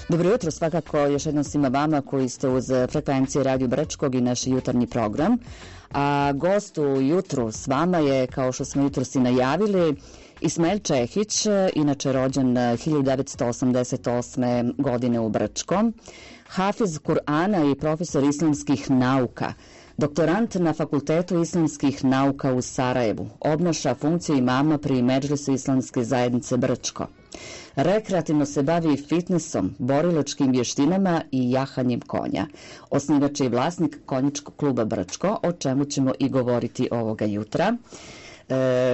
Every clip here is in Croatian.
Dobro jutro, svakako još jednom svima vama koji ste uz frekvencije Radio Brčkog i naš jutarnji program. A gost u jutru s vama je, kao što smo jutros i najavili, Ismail Čehić, inače rođen 1988. godine u Brčkom, hafiz Kur'ana i profesor islamskih nauka, doktorant na Fakultetu islamskih nauka u Sarajevu, obnaša funkciju imama pri Medžlisu islamske zajednice Brčko. Rekreativno se bavi fitnessom, borilačkim vještinama i jahanjem konja. Osnivač je i vlasnik konjičkog kluba Brčko, o čemu ćemo i govoriti ovoga jutra.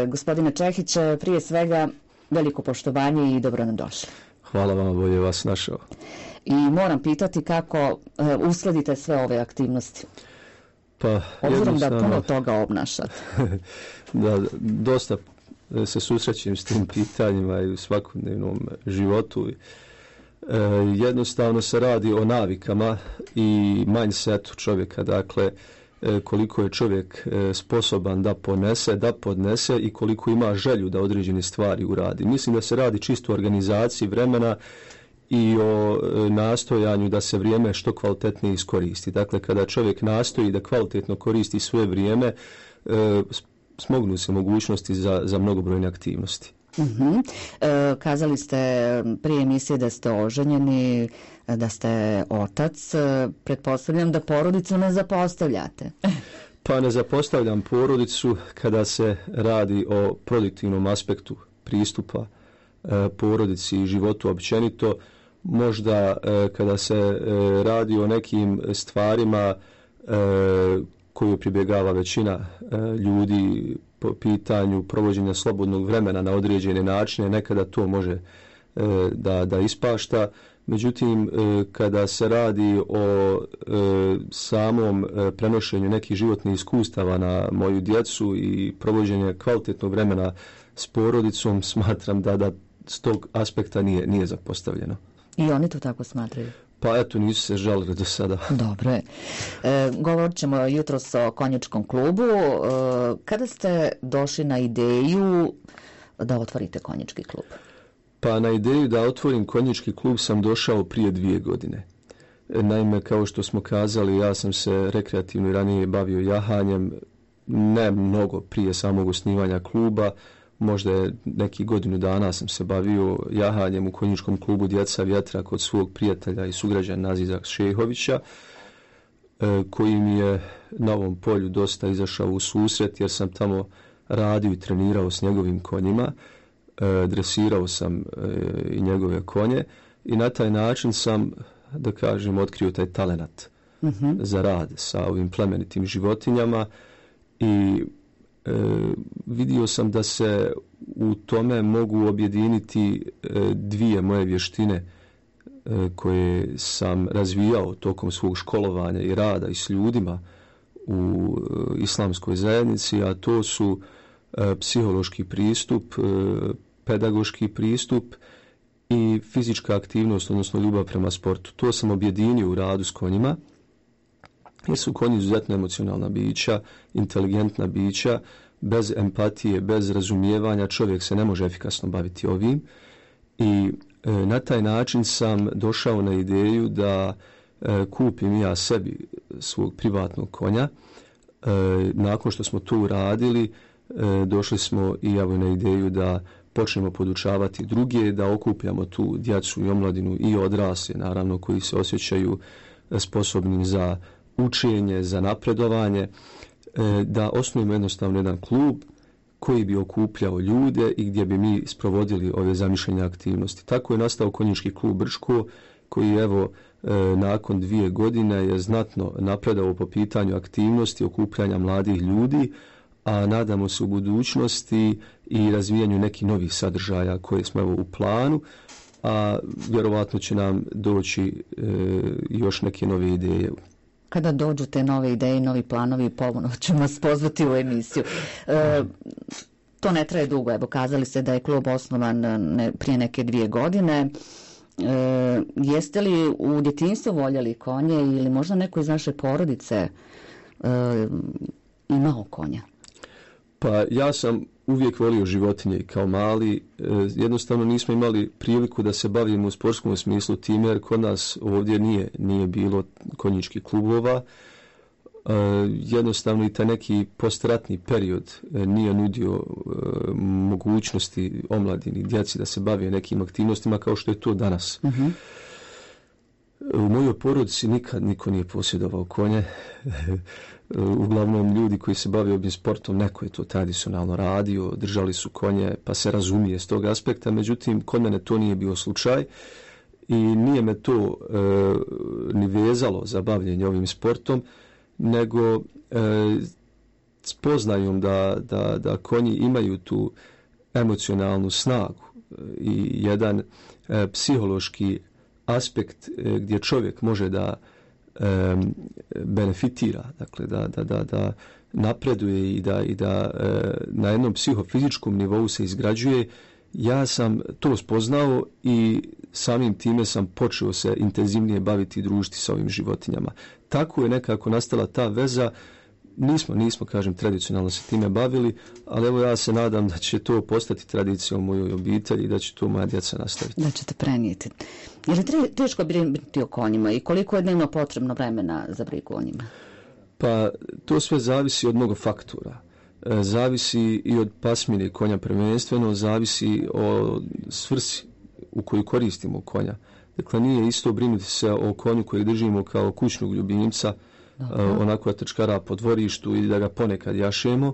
Gospodine Čehić, prije svega veliko poštovanje i dobro nam došli. Hvala vam, bolje vas našao. I moram pitati kako uskladite sve ove aktivnosti. Pa, obzirom da puno toga obnašate. Da, dosta se susrećem s tim pitanjima i u svakodnevnom životu. Jednostavno se radi o navikama i mindsetu čovjeka, dakle koliko je čovjek sposoban da podnese i koliko ima želju da određene stvari uradi. Mislim da se radi čisto o organizaciji vremena i o nastojanju da se vrijeme što kvalitetnije iskoristi. Dakle, kada čovjek nastoji da kvalitetno koristi svoje vrijeme, smognu se mogućnosti za mnogobrojne aktivnosti. Kazali ste prije emisije da ste oženjeni, da ste otac. Pretpostavljam da porodicu ne zapostavljate. Pa ne zapostavljam porodicu kada se radi o produktivnom aspektu pristupa porodici i životu općenito. Možda kada se radi o nekim stvarima koju pribjegava većina ljudi po pitanju provođenja slobodnog vremena na određene načine, nekada to može da ispašta. Međutim, kada se radi o samom prenošenju nekih životnih iskustava na moju djecu i provođenje kvalitetnog vremena s porodicom, smatram da s tog aspekta nije zapostavljeno. I oni to tako smatraju? Pa eto, nisu se žalili do sada. Dobro je. Govorit ćemo jutros o konjičkom klubu. Kada ste došli na ideju da otvorite konjički klub? Pa na ideju da otvorim konjički klub sam došao prije 2 godine. Naime, kao što smo kazali, ja sam se rekreativno i ranije bavio jahanjem, ne mnogo prije samog osnivanja kluba. Možda je neki godinu dana sam se bavio jahanjem u konjičkom klubu Djeca vjetra kod svog prijatelja i sugrađana Aziza Šehovića, koji mi je na ovom polju dosta izašao u susret, jer sam tamo radio i trenirao s njegovim konjima, dresirao sam i njegove konje i na taj način sam, da kažem, otkrio taj talenat za rad sa ovim plemenitim životinjama i vidio sam da se u tome mogu objediniti 2 moje vještine koje sam razvijao tokom svog školovanja i rada i s ljudima u islamskoj zajednici, a to su psihološki pristup, pedagoški pristup i fizička aktivnost, odnosno ljubav prema sportu. To sam objedinio u radu s konjima, jer su konji izuzetno emocionalna bića, inteligentna bića, bez empatije, bez razumijevanja čovjek se ne može efikasno baviti ovim i na taj način sam došao na ideju da kupim ja sebi svog privatnog konja. Nakon što smo to uradili, došli smo i evo na ideju da počnemo podučavati druge, da okupljamo tu djecu i omladinu i odrasle, naravno, koji se osjećaju sposobnim za učenje, za napredovanje, da osnujemo jednostavno jedan klub koji bi okupljao ljude i gdje bi mi sprovodili ove zamišljene aktivnosti. Tako je nastao konjički klub Brčko, koji evo nakon 2 godine je znatno napredao po pitanju aktivnosti okupljanja mladih ljudi, a nadamo se u budućnosti i razvijanju nekih novih sadržaja koje smo evo u planu, a vjerovatno će nam doći još neke nove ideje. Kada dođu te nove ideje, novi planovi, ponovno ćemo vas pozvati u emisiju. To ne traje dugo, evo kazali ste da je klub osnovan prije neke 2 godine. Jeste li u djetinjstvu voljeli konje ili možda neko iz naše porodice imao konja? Pa ja sam uvijek volio životinje i kao mali. Jednostavno nismo imali priliku da se bavimo u sportskom smislu time, jer kod nas ovdje nije bilo konjičkih klubova. Jednostavno i taj neki postratni period nije nudio mogućnosti omladini, djeci da se bave nekim aktivnostima kao što je to danas. U mojoj porodici nikad niko nije posjedovao konje. Uglavnom ljudi koji se bave ovim sportom, neko je to tradicionalno radio, držali su konje, pa se razumije s tog aspekta. Međutim, kod mene to nije bio slučaj i nije me to ni vezalo za bavljenje ovim sportom, nego spoznajom da konji imaju tu emocionalnu snagu i jedan psihološki aspekt gdje čovjek može da benefitira, dakle da napreduje i da na jednom psihofizičkom nivou se izgrađuje. Ja sam to spoznao i samim time sam počeo se intenzivnije baviti i družiti sa ovim životinjama. Tako je nekako nastala ta veza. Nismo, kažem, tradicionalno se time bavili, ali evo ja se nadam da će to postati tradicijom u mojoj obitelji i da će to moja djeca nastaviti. Da ćete prenijeti. Je li teško brinuti o konjima i koliko je dnevno potrebno vremena za brigu o njima? Pa to sve zavisi od mnogo faktora. Zavisi i od pasmine konja prvenstveno, zavisi o svrsi u koju koristimo konja. Dakle, nije isto brinuti se o konju koji držimo kao kućnog ljubimca, onako da trčkara po dvorištu i da ga ponekad jašemo,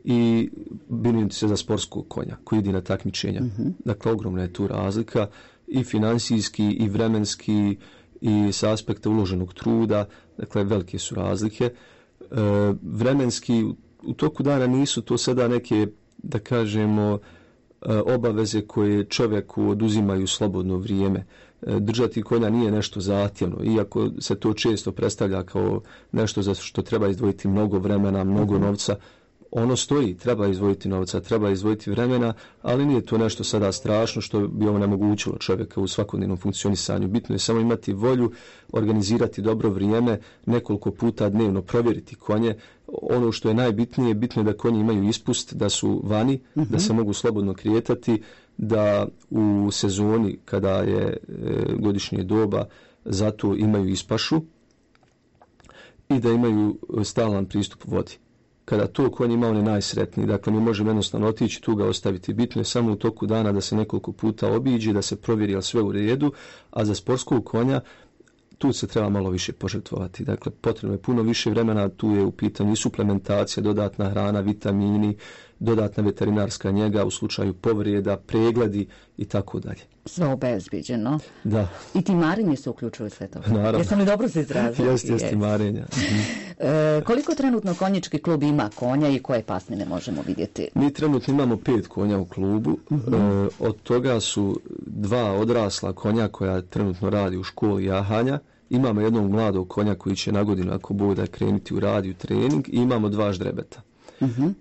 i brinuti se za sportskog konja koji ide na takmičenja. Dakle, ogromna je tu razlika i financijski i vremenski i sa aspekta uloženog truda. Dakle, velike su razlike. Vremenski u toku dana nisu to sada neke, da kažemo, obaveze koje čovjeku oduzimaju slobodno vrijeme. Držati konja nije nešto zahtjevno, iako se to često predstavlja kao nešto za što treba izdvojiti mnogo vremena, mnogo novca. Ono stoji, treba izdvojiti novca, treba izdvojiti vremena, ali nije to nešto sada strašno što bi onemogućilo čovjeka u svakodnevnom funkcionisanju. Bitno je samo imati volju, organizirati dobro vrijeme, nekoliko puta dnevno provjeriti konje. Ono što je najbitnije, bitno je da konji imaju ispust, da su vani, da se mogu slobodno kretati, da u sezoni kada je godišnje doba zato imaju ispašu i da imaju stalan pristup vodi. Kada to konj ima, on je najsretniji. Dakle, mi možemo jednostavno otići, tu ga ostaviti. Bitno je samo u toku dana da se nekoliko puta obiđe, da se provjeri je li sve u redu, a za sportskog konja tu se treba malo više požrtvovati. Dakle, potrebno je puno više vremena, tu je u pitanju i suplementacija, dodatna hrana, vitamini, dodatna veterinarska njega u slučaju povrijeda, pregledi i tako dalje. Sve obezbiđeno. Da. I timarenje se uključuje sve to. Naravno. Jesam li dobro se izrazila? Jeste timarenja. Koliko trenutno konjički klub ima konja i koje pasmine možemo vidjeti? Mi trenutno imamo 5 konja u klubu. Od toga su 2 odrasla konja koja trenutno radi u školi jahanja. Imamo jednog mladog konja koji će na godinu, ako bude, krenuti u rad i u trening, i imamo 2 ždrebeta.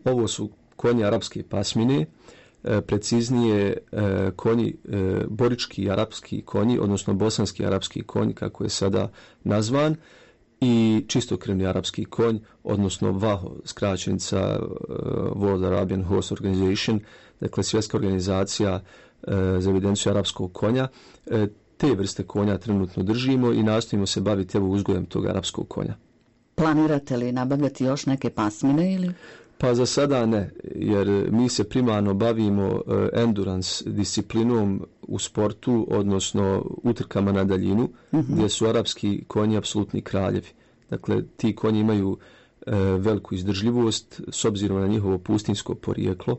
Ovo su konji arapske pasmine, preciznije konji, borički arapski konji, odnosno bosanski arapski konj, kako je sada nazvan, i čistokrvni arapski konj, odnosno VAHO, skraćenica World Arabian Horse Organization, dakle svjetska organizacija za evidenciju arapskog konja. Te vrste konja trenutno držimo i nastojimo se baviti uzgojem tog arapskog konja. Planirate li nabavljati još neke pasmine ili? Pa za sada ne, jer mi se primarno bavimo endurance disciplinom u sportu, odnosno utrkama na daljinu, gdje su arapski konji apsolutni kraljevi. Dakle, ti konji imaju veliku izdržljivost s obzirom na njihovo pustinjsko porijeklo,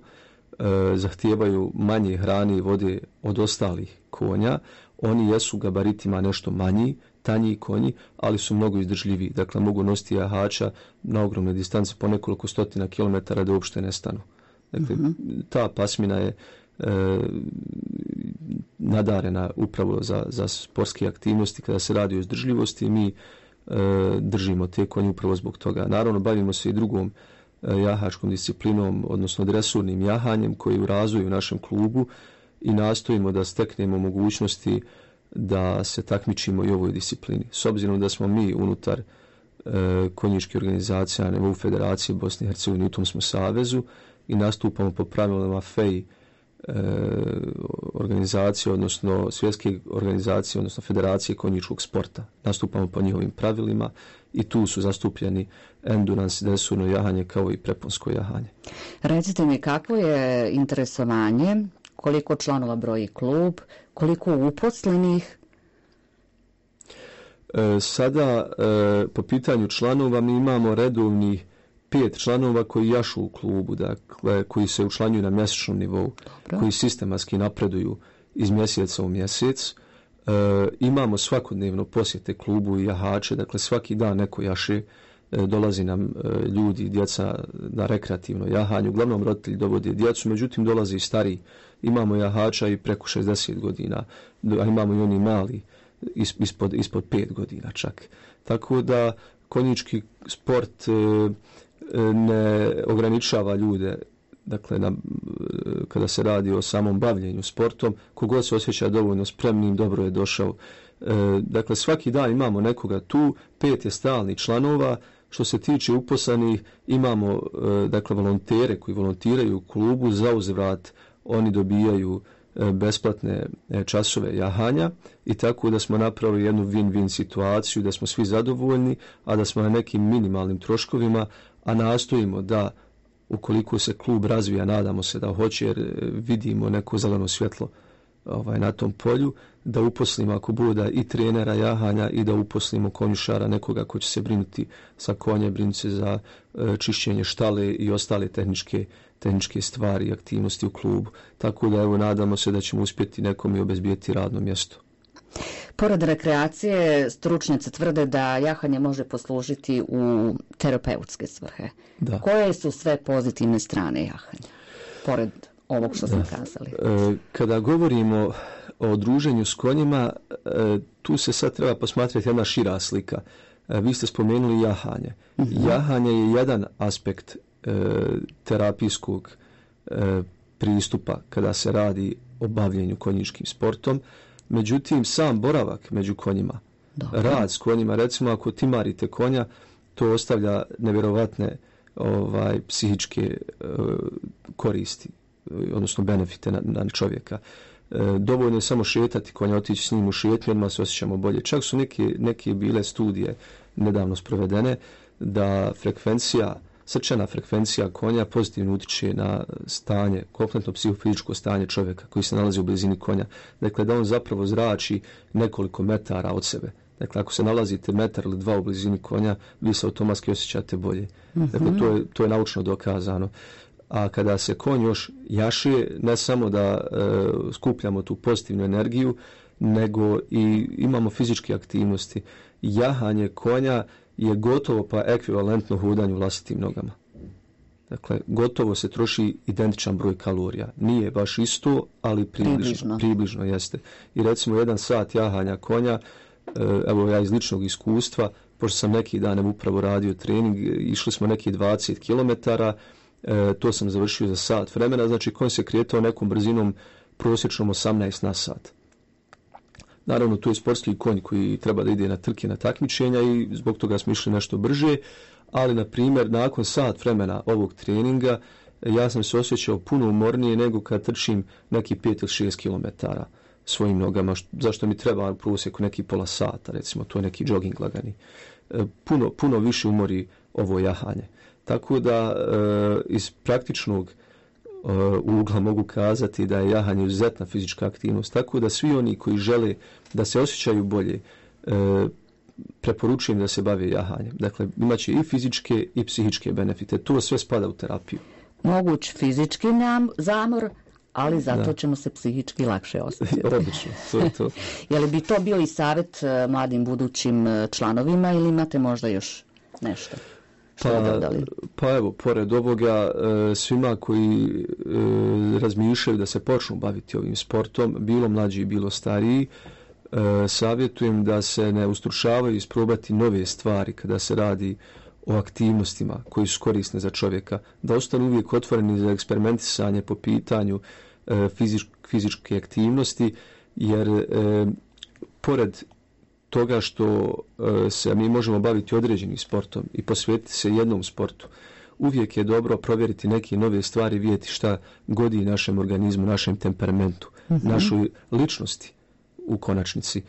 zahtijevaju manje hrane i vode od ostalih konja. Oni jesu gabaritima nešto manji, tanji konji, ali su mnogo izdržljiviji. Dakle, mogu nositi jahača na ogromne distance po nekoliko stotina kilometara da uopšte ne stanu. Dakle, ta pasmina je nadarena upravo za sportske aktivnosti. Kada se radi o izdržljivosti, mi držimo te konje upravo zbog toga. Naravno, bavimo se i drugom jahačkom disciplinom, odnosno dresurnim jahanjem, koji je u razvoju u našem klubu, i nastojimo da steknemo mogućnosti da se takmičimo i u ovoj disciplini. S obzirom da smo mi unutar konjičke organizacije na nivou Federacije Bosne i Hercegovine, u tom smo savezu, i nastupamo po pravilima FEI organizacije, odnosno svjetske organizacije, odnosno federacije konjičkog sporta. Nastupamo po njihovim pravilima i tu su zastupljeni endurance, desurno jahanje kao i preponsko jahanje. Recite mi, kakvo je interesovanje, koliko članova broji klub, koliko uposlenih? Sada po pitanju članova mi imamo redovnih 5 članova koji jašu u klubu, dakle koji se učlanjuju na mjesečnom nivou, koji sistematski napreduju iz mjeseca u mjesec. Imamo svakodnevno posjete klubu i jahače, dakle svaki dan neko jaše, dolazi nam ljudi, djeca na rekreativno jahanje, uglavnom roditelji dovode djecu, međutim dolazi i stariji. Imamo jahača i preko 60 godina, a imamo i oni mali ispod 5 godina čak. Tako da konjički sport ne ograničava ljude, dakle kada se radi o samom bavljenju sportom, kogod se osjeća dovoljno spremnim, dobro je došao. Dakle, svaki dan imamo nekoga tu, 5 je stalnih članova. Što se tiče uposlenih, imamo dakle volontere koji volontiraju u klubu, za uzvrat oni dobijaju besplatne časove jahanja i tako da smo napravili jednu win-win situaciju, da smo svi zadovoljni, a da smo na nekim minimalnim troškovima, a nastojimo da ukoliko se klub razvija, nadamo se da hoće, jer vidimo neko zeleno svjetlo na tom polju, da uposlimo ako bude i trenera jahanja i da uposlimo konjušara, nekoga ko će se brinuti sa konjem, brinuti se za čišćenje štale i ostale tehničke stvari i aktivnosti u klubu. Tako da evo nadamo se da ćemo uspjeti nekom i obezbijeti radno mjesto. Pored rekreacije, stručnjaci tvrde da jahanje može poslužiti u terapeutske svrhe. Da. Koje su sve pozitivne strane jahanja, pored ovog što smo kazali? Kada govorimo o druženju s konjima, tu se sad treba posmatrati jedna šira slika. Vi ste spomenuli jahanje. Jahanje je jedan aspekt terapijskog pristupa kada se radi o bavljenju konjičkim sportom. Međutim, sam boravak među konjima, rad s konjima, recimo ako timarite konja, to ostavlja nevjerovatne psihičke koristi, odnosno benefite na čovjeka. Dovoljno je samo šetati konja, otići s njim u šetnju, odmah se osjećamo bolje. Čak su neke bile studije nedavno sprovedene da srčana frekvencija konja pozitivno utiče na stanje, kompletno psihofizičko stanje čovjeka koji se nalazi u blizini konja. Dakle, da on zapravo zrači nekoliko metara od sebe. Dakle, ako se nalazite metar ili 2 u blizini konja, vi se automatski osjećate bolje. Dakle, to je naučno dokazano. A kada se konj još jaše, ne samo da skupljamo tu pozitivnu energiju, nego i imamo fizičke aktivnosti. Jahanje konja je gotovo pa ekvivalentno hodanju vlastitim nogama. Dakle, gotovo se troši identičan broj kalorija. Nije baš isto, ali približno jeste. I recimo 1 sat jahanja konja, evo ja iz ličnog iskustva, pošto sam neki dan upravo radio trening, išli smo neki 20 km, to sam završio za sat vremena, znači konj se kretao nekom brzinom prosječnom 18 na sat. Naravno, tu je sportski konj koji treba da ide na trke, na takmičenja i zbog toga smo išli nešto brže, ali, na primjer, nakon sat vremena ovog treninga, ja sam se osjećao puno umornije nego kad trčim neki 5 ili 6 km svojim nogama, zašto mi treba u prosjeku neki pola sata, recimo, to je neki jogging lagani. Puno više umori ovo jahanje. Tako da iz praktičnog ugla mogu kazati da je jahanje izuzetna fizička aktivnost. Tako da svi oni koji žele da se osjećaju bolje, preporučujem da se bave jahanjem. Dakle, imaće i fizičke i psihičke benefite. To sve spada u terapiju. Moguć fizički zamor, ali zato ćemo se psihički lakše osjećati. Odlično, to je to. Je li bi to bio i savjet mladim budućim članovima ili imate možda još nešto? Pa evo, pored ovoga, svima koji razmišljaju da se počnu baviti ovim sportom, bilo mlađi, bilo stariji, savjetujem da se ne ustručavaju isprobati nove stvari kada se radi o aktivnostima koji su korisne za čovjeka, da ostanu uvijek otvoreni za eksperimentisanje po pitanju fizičke aktivnosti, jer pored toga što se mi možemo baviti određenim sportom i posvetiti se jednom sportu, uvijek je dobro provjeriti neke nove stvari, vidjeti šta godi našem organizmu, našem temperamentu, našoj ličnosti u konačnici.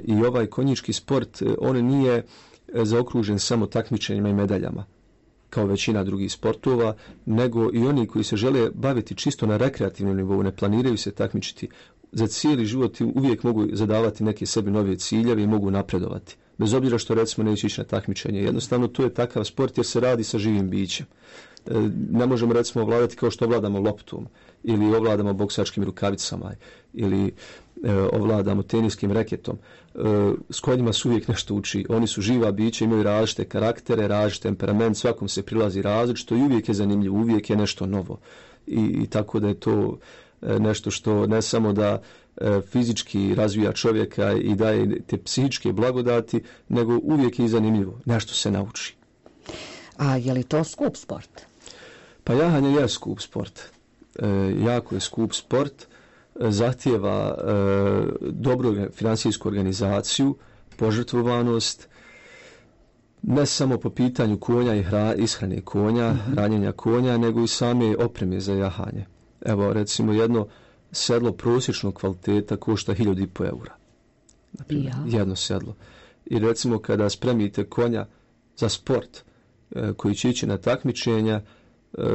I ovaj konjički sport, on nije zaokružen samo takmičenjima i medaljama, kao većina drugih sportova, nego i oni koji se žele baviti čisto na rekreativnom nivou, ne planiraju se takmičiti za cijeli život i uvijek mogu zadavati neke sebi nove ciljeve i mogu napredovati. Bez obzira što recimo neće ići na takmičenje. Jednostavno to je takav sport jer se radi sa živim bićem. Ne možemo recimo ovladati kao što ovladamo loptom ili ovladamo boksačkim rukavicama ili ovladamo teniskim reketom. S konjima se uvijek nešto uči. Oni su živa bića, imaju različite karaktere, različit temperament, svakom se prilazi različito i uvijek je zanimljivo, uvijek je nešto novo. I tako da je to nešto što ne samo da fizički razvija čovjeka i daje te psihičke blagodati, nego uvijek je i zanimljivo. Nešto se nauči. A je li to skup sport? Pa jahanje je skup sport. Jako je skup sport. Zahtijeva dobru finansijsku organizaciju, požrtvovanost, ne samo po pitanju konja i ishrane konja, hranjenja konja, nego i same opreme za jahanje. Evo, recimo, jedno sedlo prosječnog kvaliteta košta 1.500 eura. Naprimjer, jedno sedlo. I recimo, kada spremite konja za sport koji će ići na takmičenja,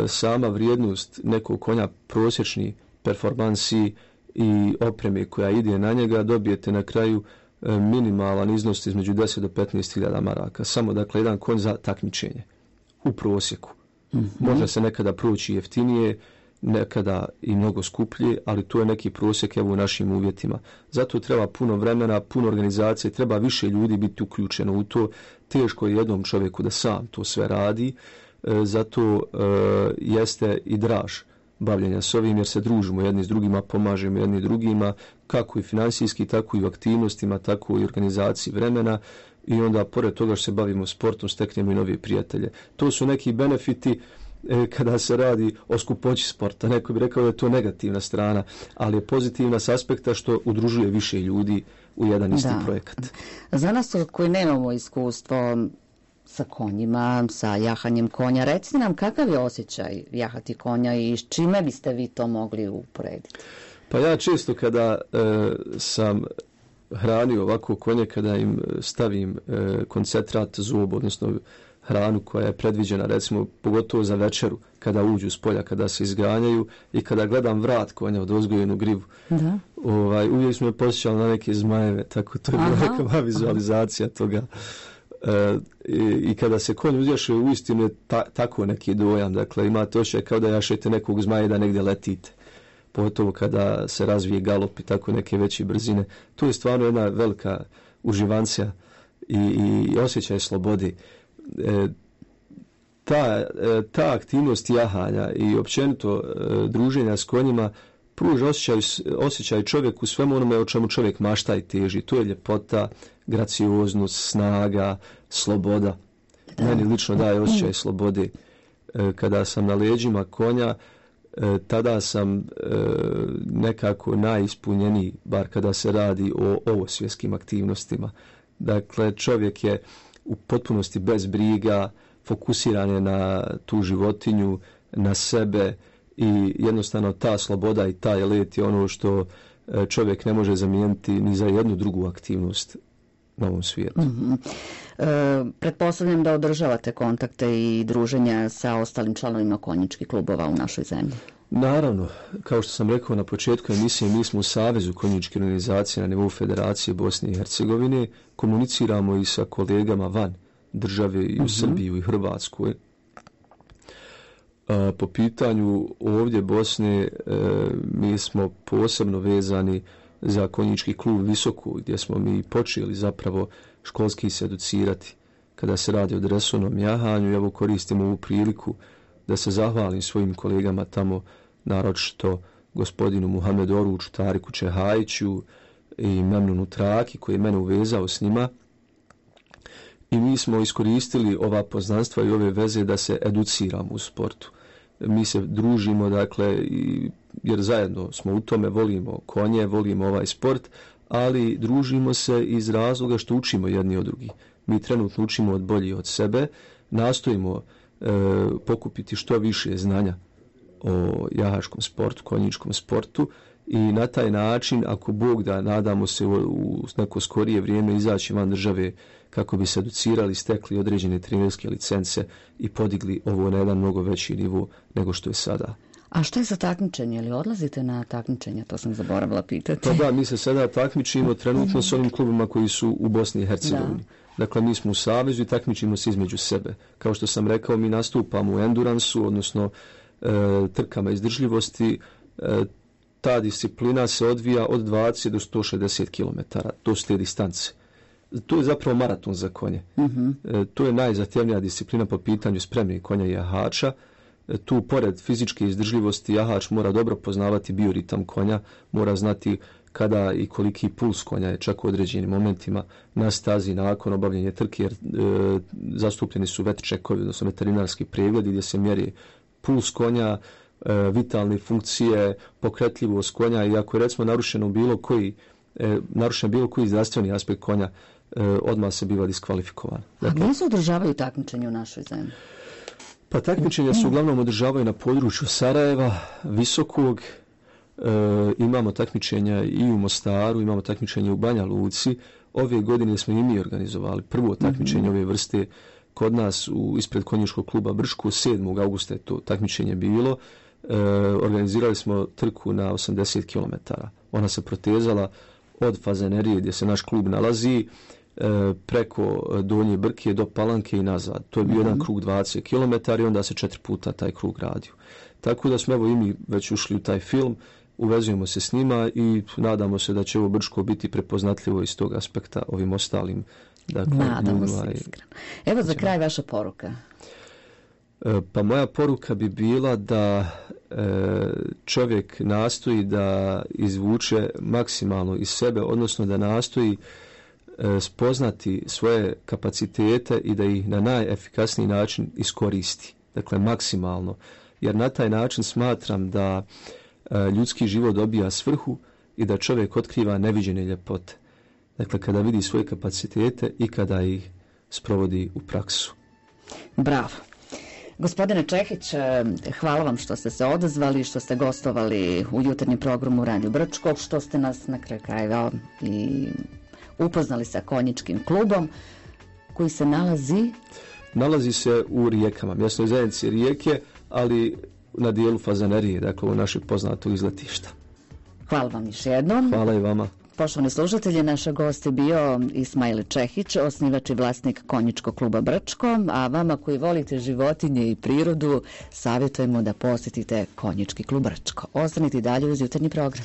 sama vrijednost nekog konja prosječni performansi i opreme koja ide na njega dobijete na kraju minimalan iznos između 10 do 15.000 maraka. Samo dakle jedan konj za takmičenje u prosjeku. Može se nekada proći jeftinije, nekada i mnogo skuplje, ali to je neki prosjek evo u našim uvjetima. Zato treba puno vremena, puno organizacije, treba više ljudi biti uključeno u to. Teško je jednom čovjeku da sam to sve radi, zato jeste i draž bavljenja s ovim, jer se družimo jedni s drugima, pomažemo jedni drugima, kako i finansijski, tako i u aktivnostima, tako i u organizaciji vremena i onda, pored toga što se bavimo sportom, steknemo i novi prijatelje. To su neki benefiti kada se radi o skupoći sporta. Neko bi rekao da je to negativna strana, ali je pozitivna s aspekta što udružuje više ljudi u jedan isti projekat. Za nas koji nemamo iskustvo sa konjima, sa jahanjem konja, recite nam kakav je osjećaj jahati konja i s čime biste vi to mogli uporediti? Pa ja često kada sam hranio ovako konje, kada im stavim koncentrat zob, odnosno hranu koja je predviđena, recimo pogotovo za večeru, kada uđu s polja, kada se izganjaju i kada gledam vrat konja od ozgojenu grivu, uvijek smo me posjećali na neke zmajeve, tako to je bila neka vizualizacija toga. I kada se konj uzjaše, uistinu je tako neki dojam, dakle imate osjećaj kao da jašete nekog zmaja da negdje letite, pogotovo kada se razvije galop i tako neke veće brzine. To je stvarno jedna velika uživancija i osjećaj slobode. Ta aktivnost jahanja i općenito druženja s konjima pruža osjećaj čovjeku svemu onome o čemu čovjek mašta i teži. To je ljepota, gracioznost, snaga, sloboda. Meni lično daje osjećaj slobode. Kada sam na leđima konja, tada sam nekako najispunjeniji, bar kada se radi o ovosvjetskim aktivnostima. Dakle, čovjek je u potpunosti bez briga, fokusiran je na tu životinju, na sebe i jednostavno ta sloboda i taj let je ono što čovjek ne može zamijeniti ni za jednu drugu aktivnost na ovom svijetu. Pretpostavljam da održavate kontakte i druženja sa ostalim članovima konjičkih klubova u našoj zemlji. Naravno, kao što sam rekao na početku emisije, mi smo u Savezu konjičkih organizacija na nivou Federacije Bosne i Hercegovine, komuniciramo i sa kolegama van države i u Srbiji i Hrvatskoj. Po pitanju ovdje Bosne, mi smo posebno vezani za konjički klub Visoko, gdje smo mi počeli zapravo školski se educirati kada se radi o dresovnom jahanju. Evo koristimo ovu priliku da se zahvalim svojim kolegama tamo, naročito gospodinu Muhamedu Oruču, Tariku Čehajiću i Memnunu Traki koji je mene uvezao s njima. I mi smo iskoristili ova poznanstva i ove veze da se educiramo u sportu. Mi se družimo, dakle, jer zajedno smo u tome, volimo konje, volimo ovaj sport, ali družimo se iz razloga što učimo jedni od drugih. Mi trenutno učimo od bolji od sebe, nastojimo pokupiti što više znanja o jahačkom sportu, konjičkom sportu i na taj način, ako Bog da, nadamo se u neko skorije vrijeme izaći van države kako bi se educirali, stekli određene trenerske licence i podigli ovo na jedan mnogo veći nivo nego što je sada. A što je za takmičenje? Ili odlazite na takmičenje? To sam zaboravila pitati. Pa da, mi se sada takmičimo trenutno s onim klubima koji su u Bosni i Hercegovini. Dakle, mi smo u savezu i takmičimo se između sebe. Kao što sam rekao, mi nastupamo u enduransu, odnosno trkama izdržljivosti. Ta disciplina se odvija od 20 do 160 km. To su te distance. To je zapravo maraton za konje. To je najzahtjevnija disciplina po pitanju spremnih konja i jahača. Tu, pored fizičke izdržljivosti, jahač mora dobro poznavati bioritam konja, mora znati kada i koliki puls konja je čak u određenim momentima na stazi nakon obavljanja trke, jer zastupljeni su vet čekovi, odnosno veterinarski pregledi gdje se mjeri puls konja, vitalne funkcije, pokretljivost konja i ako je recimo narušen bilo koji zdravstveni aspekt konja, odmah se biva diskvalifikovan. Dakle, a gdje se održavaju takmičenje u našoj zemlji? Pa takmičenja se uglavnom održavaju na području Sarajeva, Visokog, imamo takmičenja i u Mostaru, imamo takmičenje u Banja Luci. Ove godine smo i mi organizovali prvo takmičenje ove vrste kod nas ispred konjičkog kluba Brčko. 7. augusta je to takmičenje bilo. Organizirali smo trku na 80 km. Ona se protezala od Fazanerije gdje se naš klub nalazi preko Donje Brke do Palanke i nazad. To je bio jedan krug 20 km i onda se 4 puta taj krug radio. Tako da smo evo i mi već ušli u taj film, uvezujemo se s njima i nadamo se da će ovo Brčko biti prepoznatljivo iz tog aspekta ovim ostalim. Dakle, nadamo se iskreno. Evo za kraj vaša poruka. Pa moja poruka bi bila da čovjek nastoji da izvuče maksimalno iz sebe, odnosno da nastoji spoznati svoje kapacitete i da ih na najefikasniji način iskoristi. Dakle, maksimalno. Jer na taj način smatram da ljudski život dobija svrhu i da čovjek otkriva neviđene ljepote. Dakle, kada vidi svoje kapacitete i kada ih sprovodi u praksu. Bravo. Gospodine Čehić, hvala vam što ste se odazvali, što ste gostovali u jutarnjem programu Radio Brčko, što ste nas na kraju krajeva i upoznali sa konjičkim klubom koji se nalazi se u Rijekama, mjesnoj zajednici Rijeke, ali na dijelu Fazanerije, dakle u našeg poznatog izletišta. Hvala vam još jednom. Hvala i vama. Poštovani slušatelji, naš gost je bio Ismail Čehić, osnivač i vlasnik konjičkog kluba Brčko, a vama koji volite životinje i prirodu, savjetujemo da posjetite konjički klub Brčko. Ostanite dalje uz jutarnji program.